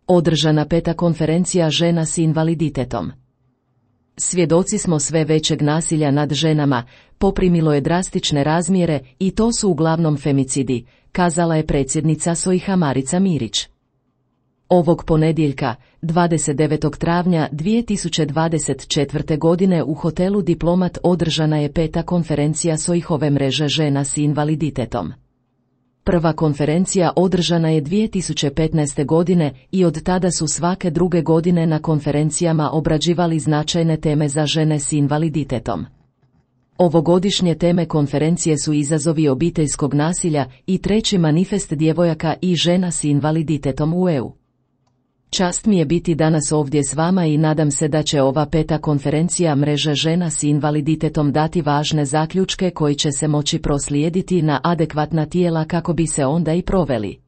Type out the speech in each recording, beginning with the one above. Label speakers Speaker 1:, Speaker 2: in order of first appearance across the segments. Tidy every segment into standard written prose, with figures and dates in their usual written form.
Speaker 1: Održana 5. konferencija žena s invaliditetom. Svjedoci smo sve većeg nasilja nad ženama, poprimilo je drastične razmjere i to su uglavnom femicidi, kazala je predsjednica SOIH-a Marica Mirić. Ovog ponedjeljka, 29. travnja 2024. godine u hotelu Diplomat održana je 5. konferencija SOIH-ove mreže žena s invaliditetom. Prva konferencija održana je 2015. godine i od tada su svake druge godine na konferencijama obrađivali značajne teme za žene s invaliditetom. Ovogodišnje teme konferencije su izazovi obiteljskog nasilja i treći manifest djevojaka i žena s invaliditetom u EU. Čast mi je biti danas ovdje s vama i nadam se da će ova 5. konferencija mreže žena s invaliditetom dati važne zaključke koji će se moći proslijediti na adekvatna tijela kako bi se onda i proveli.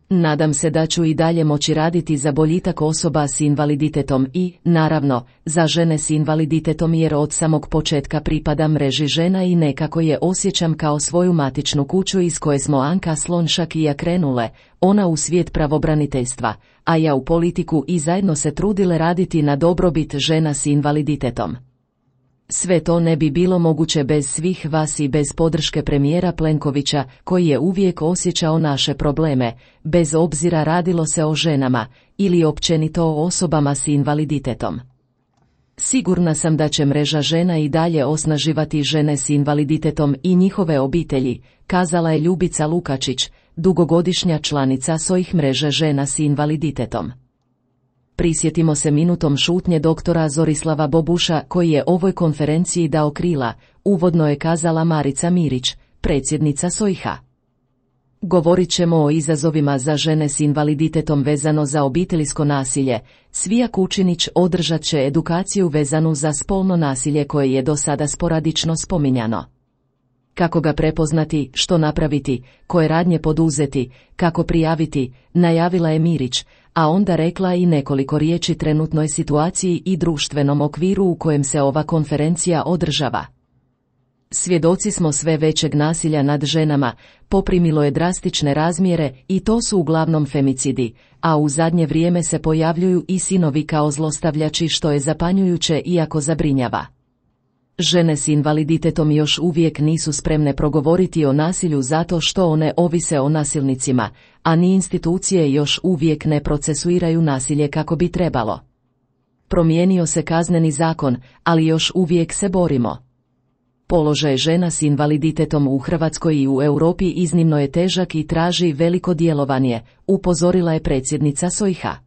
Speaker 1: Nadam se da ću i dalje moći raditi za boljitak osoba s invaliditetom i, naravno, za žene s invaliditetom jer od samog početka pripadam mreži žena i nekako je osjećam kao svoju matičnu kuću iz koje smo Anka Slonjšak i ja krenule, ona u svijet pravobraniteljstva, a ja u politiku i zajedno se trudile raditi na dobrobit žena s invaliditetom. Sve to ne bi bilo moguće bez svih vas i bez podrške premijera Plenkovića, koji je uvijek osjećao naše probleme, bez obzira radilo se o ženama, ili općenito o osobama s invaliditetom. Sigurna sam da će mreža žena i dalje osnaživati žene s invaliditetom i njihove obitelji, kazala je Ljubica Lukačić, dugogodišnja članica SOIH mreže žena s invaliditetom. Prisjetimo se minutom šutnje doktora Zorislava Bobuša koji je ovoj konferenciji dao krila, uvodno je kazala Marica Mirić, predsjednica SOIH-a. Govorit ćemo o izazovima za žene s invaliditetom vezano za obiteljsko nasilje. Svija Kučinić održat će edukaciju vezanu za spolno nasilje koje je do sada sporadično spominjano. Kako ga prepoznati, što napraviti, koje radnje poduzeti, kako prijaviti, najavila je Mirić, a onda rekla i nekoliko riječi trenutnoj situaciji i društvenom okviru u kojem se ova konferencija održava. Svjedoci smo sve većeg nasilja nad ženama, poprimilo je drastične razmjere i to su uglavnom femicidi, a u zadnje vrijeme se pojavljuju i sinovi kao zlostavljači što je zapanjujuće iako zabrinjava. Žene s invaliditetom još uvijek nisu spremne progovoriti o nasilju zato što one ovise o nasilnicima, a ni institucije još uvijek ne procesuiraju nasilje kako bi trebalo. Promijenio se kazneni zakon, ali još uvijek se borimo. Položaj žena s invaliditetom u Hrvatskoj i u Europi iznimno je težak i traži veliko djelovanje, upozorila je predsjednica SOIH-a.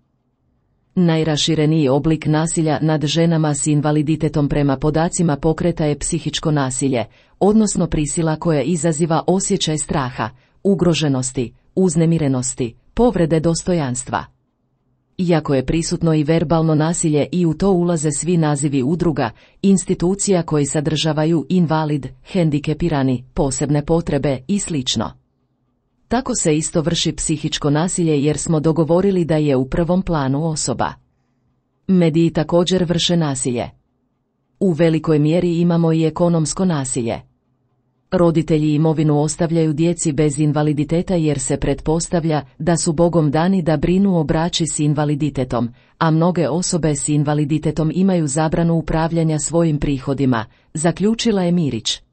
Speaker 1: Najrašireniji oblik nasilja nad ženama s invaliditetom prema podacima pokreta je psihičko nasilje, odnosno prisila koja izaziva osjećaj straha, ugroženosti, uznemirenosti, povrede dostojanstva. Iako je prisutno i verbalno nasilje i u to ulaze svi nazivi udruga, institucija koji sadržavaju invalid, hendikepirani, posebne potrebe i sl. Tako se isto vrši psihičko nasilje jer smo dogovorili da je u prvom planu osoba. Mediji također vrše nasilje. U velikoj mjeri imamo i ekonomsko nasilje. Roditelji imovinu ostavljaju djeci bez invaliditeta jer se pretpostavlja da su Bogom dani da brinu o braći s invaliditetom, a mnoge osobe s invaliditetom imaju zabranu upravljanja svojim prihodima, zaključila je Mirić.